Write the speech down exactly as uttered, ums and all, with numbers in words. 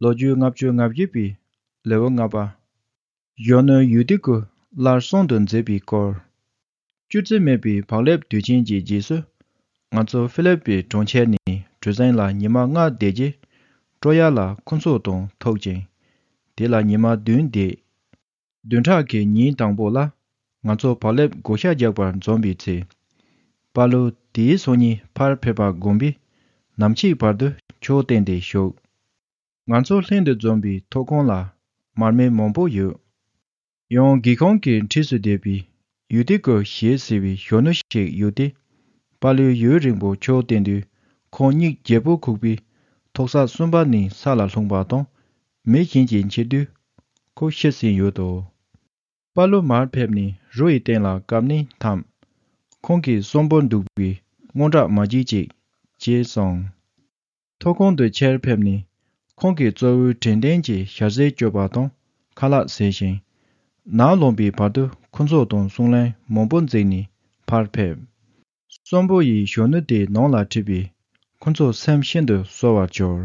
ལོ་རྒྱུས་ལྔ་བཅུ་ང་བརྒྱད་པའི་ལེའུ་ལྔ་པ། གཞོན་ནུ་ཡུ་ཏི་ཀུ་སླར་གསོན་དུ་མཛད་པའི་སྐོར། སྐྱུར་རྩི་མེད་པའི་བག་ལེབ་དུས་ཆེན་གྱི་རྗེས་སུ། ང་ཚོ་ཧྥི་ལིབ་པི་གྲོང་ཁྱེར་ནས་གྲུ་གཟིངས་ལ་ཉི་མ་ལྔ་བསྡད་རྗེས། ཀྲོ་ཡ་ལ་ཁོ་ཚོ་དང་ཐུག་ཅིང་། དེ་ལ་ཉི་མ་བདུན་བསྡད། བདུན་ཕྲག་གི་ཉིན་དང་པོ་ལ། ང་ཚོ་བག་ལེབ་བགོ་བཤའ་རྒྱག་པར་འཛོམས་པའི་ཚེ། པ་ལུ་དེའི་སང་ཉིན་ཕར་ཕེབས་པ་དགོངས་པས། ནམ་ཕྱེད་བར་དུ་ཆོས་སྟེང་དེ་བཞུགས། ང་ཚོ་ལྷན་དུ་འཛོམས་པའི་ཐོག་ཁང་ལ་མར་མེ་མང་པོ་ཡོད། ཡང་སྒེའུ་ཁུང་གི་འཁྲིས་སུ་བསྡད་པའི་ཡུ་ཏི་ཀོ་ཞེས་ཟེར་བའི་གཞོན་ནུ་ཞིག་ཡོད་དེ། པ་ལུའི་ཡུན་རིང་པོ་ཆོས་བསྟན་དུས། ཁོང་མིག་བརྒྱད་པོ་ཁུག་པས། ཐོག་ས་གསུམ་པ་ནས་ས་ལ་ལྷུང་པ་དང་། མེ་བཞིན་གྱི་འཁྱེར་དུས། ཁོ་ཤི་ཟིན་ཡོད་དོ། པ་ལུ་མར་ཕེབས་ནས་རོ་ཡི་སྟེང་ལ་བཀབ་ནས་འཐམས། ཁོང་གིས་གསོན་པོར་འདུག་པའི་དངངས་སྐྲག་མ་བྱེད་ཅིག་ཅེས་གསུངས། ཐོག་ཁང་དུ་ཕྱིར་ཕེབས་ནས། ཁོང་གིས་གཙོ་བོའི་དྲན་རྟེན་གྱི་ཞལ་ཟས་མཆོད་པ་དང་ཁ་ལག་བཟས་ཤིང་། ནམ་ལངས་པའི་བར་དུ་ཁོ་ཚོ་དང་གསུང་གླེང་མང་པོ་མཛད་ནས་ཕར་ཕེབས། གསོན་པོ་ཡིས་གཞོན་ནུ་དེའི་ནང་ལ་ཁྲིད་པས། ཁོ་ཚོ་སེམས་ཤིན་ཏུ་གསོ་བར་གྱུར།